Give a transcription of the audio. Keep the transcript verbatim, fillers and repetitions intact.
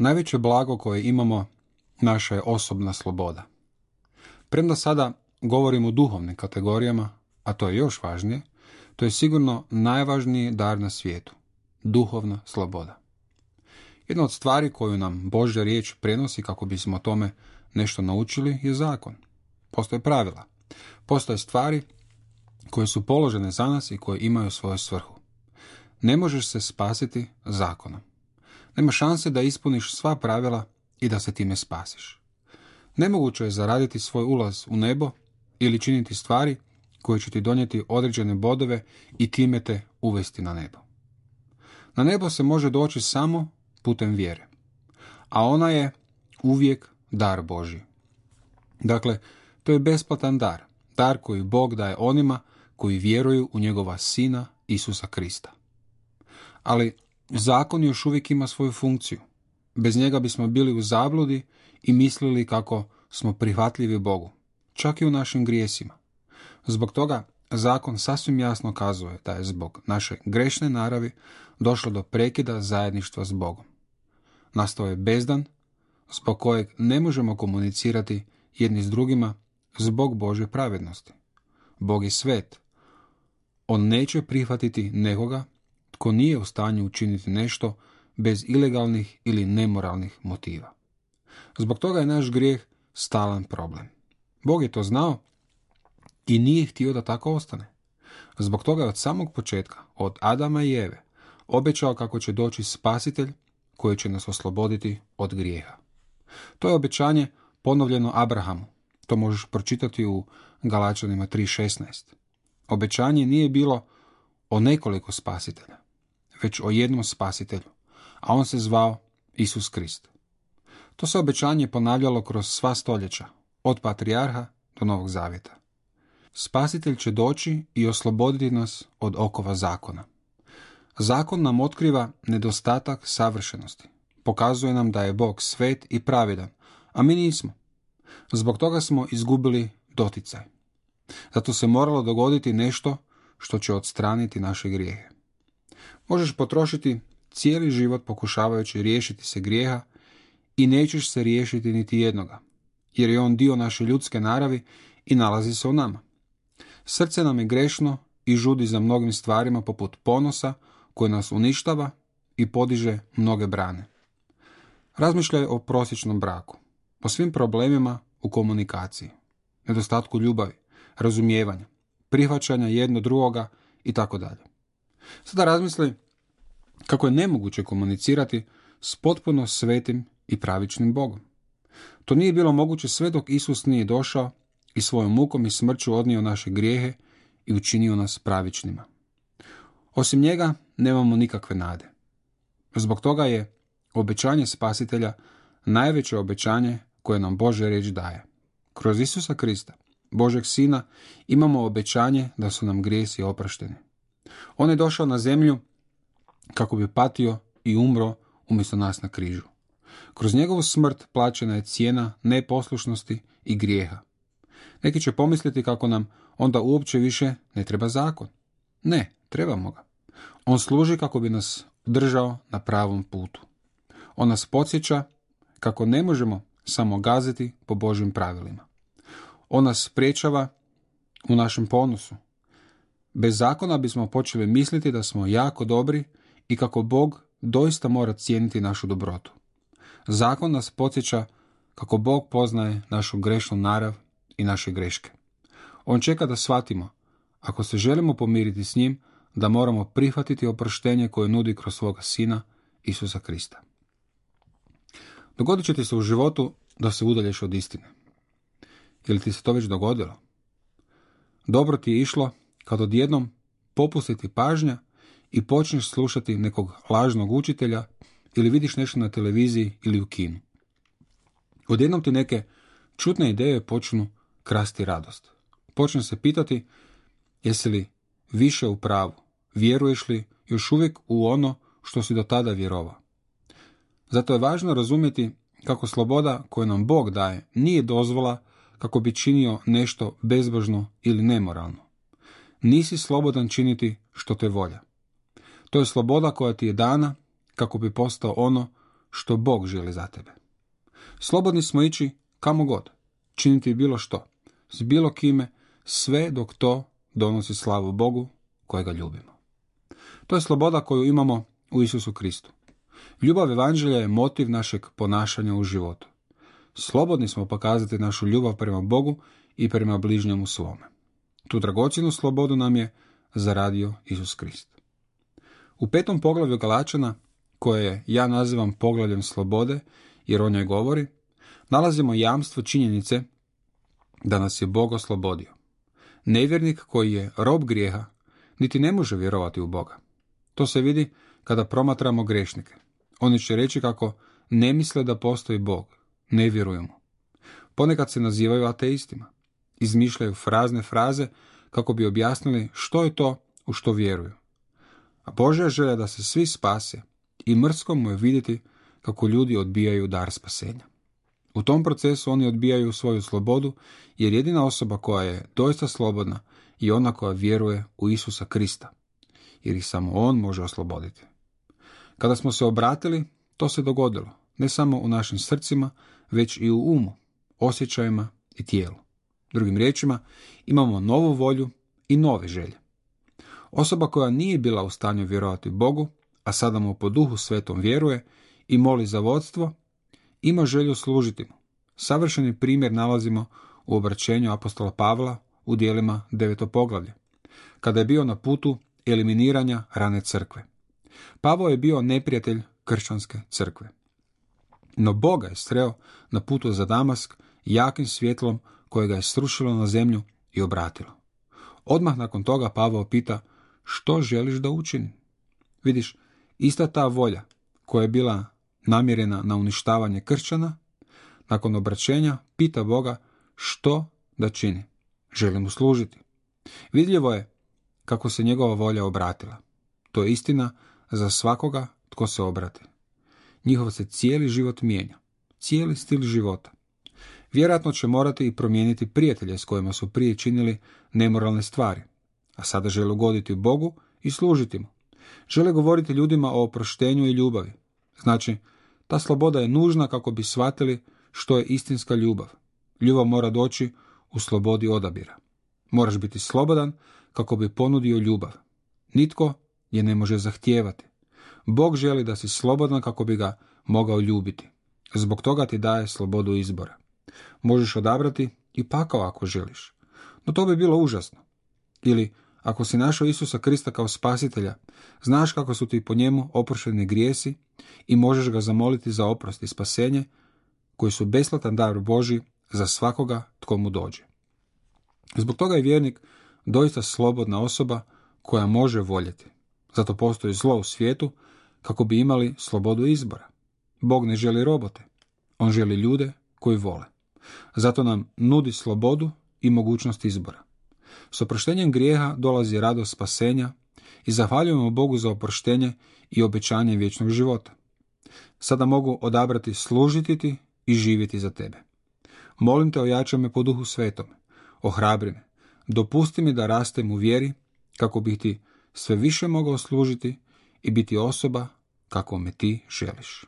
Najveće blago koje imamo naša je osobna sloboda. Premda sada govorimo o duhovnim kategorijama, a to je još važnije, to je sigurno najvažniji dar na svijetu. Duhovna sloboda. Jedna od stvari koju nam Božja riječ prenosi kako bismo o tome nešto naučili je zakon. Postoje pravila. Postoje stvari koje su položene za nas i koje imaju svoju svrhu. Ne možeš se spasiti zakonom. Nema šanse da ispuniš sva pravila i da se time spasiš. Nemoguće je zaraditi svoj ulaz u nebo ili činiti stvari koje će ti donijeti određene bodove i time te uvesti na nebo. Na nebo se može doći samo putem vjere, a ona je uvijek dar Božji. Dakle, to je besplatan dar, dar koji Bog daje onima koji vjeruju u njegova Sina Isusa Krista. Ali zakon još uvijek ima svoju funkciju. Bez njega bismo bili u zabludi i mislili kako smo prihvatljivi Bogu, čak i u našim grijesima. Zbog toga zakon sasvim jasno kazuje da je zbog naše grešne naravi došlo do prekida zajedništva s Bogom. Nastao je bezdan zbog kojeg ne možemo komunicirati jedni s drugima zbog Božje pravednosti. Bog je svet. On neće prihvatiti nekoga tko nije u stanju učiniti nešto bez ilegalnih ili nemoralnih motiva. Zbog toga je naš grijeh stalan problem. Bog je to znao i nije htio da tako ostane. Zbog toga je od samog početka, od Adama i Eve, obećao kako će doći spasitelj koji će nas osloboditi od grijeha. To je obećanje ponovljeno Abrahamu. To možeš pročitati u Galačanima tri šesnaest. Obećanje nije bilo o nekoliko spasitelja, već o jednom spasitelju, a on se zvao Isus Krist. To se obećanje ponavljalo kroz sva stoljeća, od patrijarha do Novog Zavjeta. Spasitelj će doći i osloboditi nas od okova zakona. Zakon nam otkriva nedostatak savršenosti. Pokazuje nam da je Bog svet i pravedan, a mi nismo. Zbog toga smo izgubili doticaj. Zato se moralo dogoditi nešto što će odstraniti naše grijehe. Možeš potrošiti cijeli život pokušavajući riješiti se grijeha i nećeš se riješiti niti jednoga, jer je on dio naše ljudske naravi i nalazi se u nama. Srce nam je grešno i žudi za mnogim stvarima poput ponosa koji nas uništava i podiže mnoge brane. Razmišljaj o prosječnom braku, o svim problemima u komunikaciji, nedostatku ljubavi, razumijevanja, prihvaćanja jedno drugoga i tako dalje. Sada razmisli kako je nemoguće komunicirati s potpuno svetim i pravičnim Bogom. To nije bilo moguće sve dok Isus nije došao i svojom mukom i smrću odnio naše grijehe i učinio nas pravičnima. Osim njega nemamo nikakve nade. Zbog toga je obećanje spasitelja najveće obećanje koje nam Božja riječ daje. Kroz Isusa Krista, Božeg Sina, imamo obećanje da su nam grijesi oprošteni. On je došao na zemlju kako bi patio i umro umjesto nas na križu. Kroz njegovu smrt plaćena je cijena neposlušnosti i grijeha. Neki će pomisliti kako nam onda uopće više ne treba zakon. Ne, trebamo ga. On služi kako bi nas držao na pravom putu. On nas podsjeća kako ne možemo samo gaziti po Božjim pravilima. On nas spriječava u našem ponosu. Bez zakona bismo počeli misliti da smo jako dobri i kako Bog doista mora cijeniti našu dobrotu. Zakon nas podsjeća kako Bog poznaje našu grešnu narav i naše greške. On čeka da shvatimo, ako se želimo pomiriti s njim, da moramo prihvatiti oproštenje koje nudi kroz svoga Sina Isusa Krista. Dogodit će ti se u životu da se udalješ od istine. Je li ti se to već dogodilo? Dobro ti je išlo kad odjednom popusti ti pažnja i počneš slušati nekog lažnog učitelja ili vidiš nešto na televiziji ili u kinu. Odjednom ti neke čudne ideje počnu krasti radost. Počne se pitati jesi li više u pravu, vjeruješ li još uvijek u ono što si do tada vjerovao. Zato je važno razumjeti kako sloboda koju nam Bog daje nije dozvola kako bi činio nešto bezbožno ili nemoralno. Nisi slobodan činiti što te volja. To je sloboda koja ti je dana kako bi postao ono što Bog želi za tebe. Slobodni smo ići kamo god, činiti bilo što, s bilo kime, sve dok to donosi slavu Bogu kojega ljubimo. To je sloboda koju imamo u Isusu Kristu. Ljubav evanđelja je motiv našeg ponašanja u životu. Slobodni smo pokazati našu ljubav prema Bogu i prema bližnjemu svome. Tu dragocjenu slobodu nam je zaradio Isus Krist. U petom poglavlju Galačana, koje ja nazivam poglavljem slobode, jer o njoj govori, nalazimo jamstvo činjenice da nas je Bog oslobodio. Nevjernik koji je rob grijeha niti ne može vjerovati u Boga. To se vidi kada promatramo grešnike. Oni će reći kako ne misle da postoji Bog, ne vjeruju mu. Ponekad se nazivaju ateistima. Izmišljaju frazne fraze kako bi objasnili što je to u što vjeruju. A Božja želja da se svi spase i mrsko mu je vidjeti kako ljudi odbijaju dar spasenja. U tom procesu oni odbijaju svoju slobodu, jer jedina osoba koja je doista slobodna je ona koja vjeruje u Isusa Krista, jer ih samo on može osloboditi. Kada smo se obratili, to se dogodilo, ne samo u našim srcima, već i u umu, osjećajima i tijelu. Drugim riječima, imamo novu volju i nove želje. Osoba koja nije bila u stanju vjerovati Bogu, a sada mu po Duhu Svetom vjeruje i moli za vodstvo, ima želju služiti mu. Savršeni primjer nalazimo u obraćenju apostola Pavla u dijelima deveto poglavlje, kada je bio na putu eliminiranja rane crkve. Pavao je bio neprijatelj kršćanske crkve. No Boga je sreo na putu za Damask jakim svjetlom koje ga je srušilo na zemlju i obratilo. Odmah nakon toga Pavao pita: što želiš da učinim? Vidiš, ista ta volja koja je bila namjerena na uništavanje kršćana, nakon obraćenja pita Boga što da čini. Želi mu služiti. Vidljivo je kako se njegova volja obratila. To je istina za svakoga tko se obrati. Njihov se cijeli život mijenja, cijeli stil života. Vjerojatno će morati i promijeniti prijatelje s kojima su prije činili nemoralne stvari, a sada žele ugoditi Bogu i služiti mu. Žele govoriti ljudima o oproštenju i ljubavi. Znači, ta sloboda je nužna kako bi shvatili što je istinska ljubav. Ljubav mora doći u slobodi odabira. Moraš biti slobodan kako bi ponudio ljubav. Nitko je ne može zahtijevati. Bog želi da si slobodan kako bi ga mogao ljubiti. Zbog toga ti daje slobodu izbora. Možeš odabrati i pakao ako želiš. No to bi bilo užasno. Ili, ako si našao Isusa Krista kao spasitelja, znaš kako su ti po njemu oprošteni grijesi i možeš ga zamoliti za oprost i spasenje, koji su besplatan dar Božji za svakoga tko mu dođe. Zbog toga je vjernik doista slobodna osoba koja može voljeti. Zato postoji zlo u svijetu kako bi imali slobodu izbora. Bog ne želi robote. On želi ljude koji vole. Zato nam nudi slobodu i mogućnost izbora. S oproštenjem grijeha dolazi radost spasenja i zahvaljujemo Bogu za oproštenje i obećanje vječnog života. Sada mogu odabrati služiti ti i živjeti za tebe. Molim te, ojačaj me po Duhu Svetome, ohrabri me, dopusti mi da rastem u vjeri kako bih ti sve više mogao služiti i biti osoba kako me ti želiš.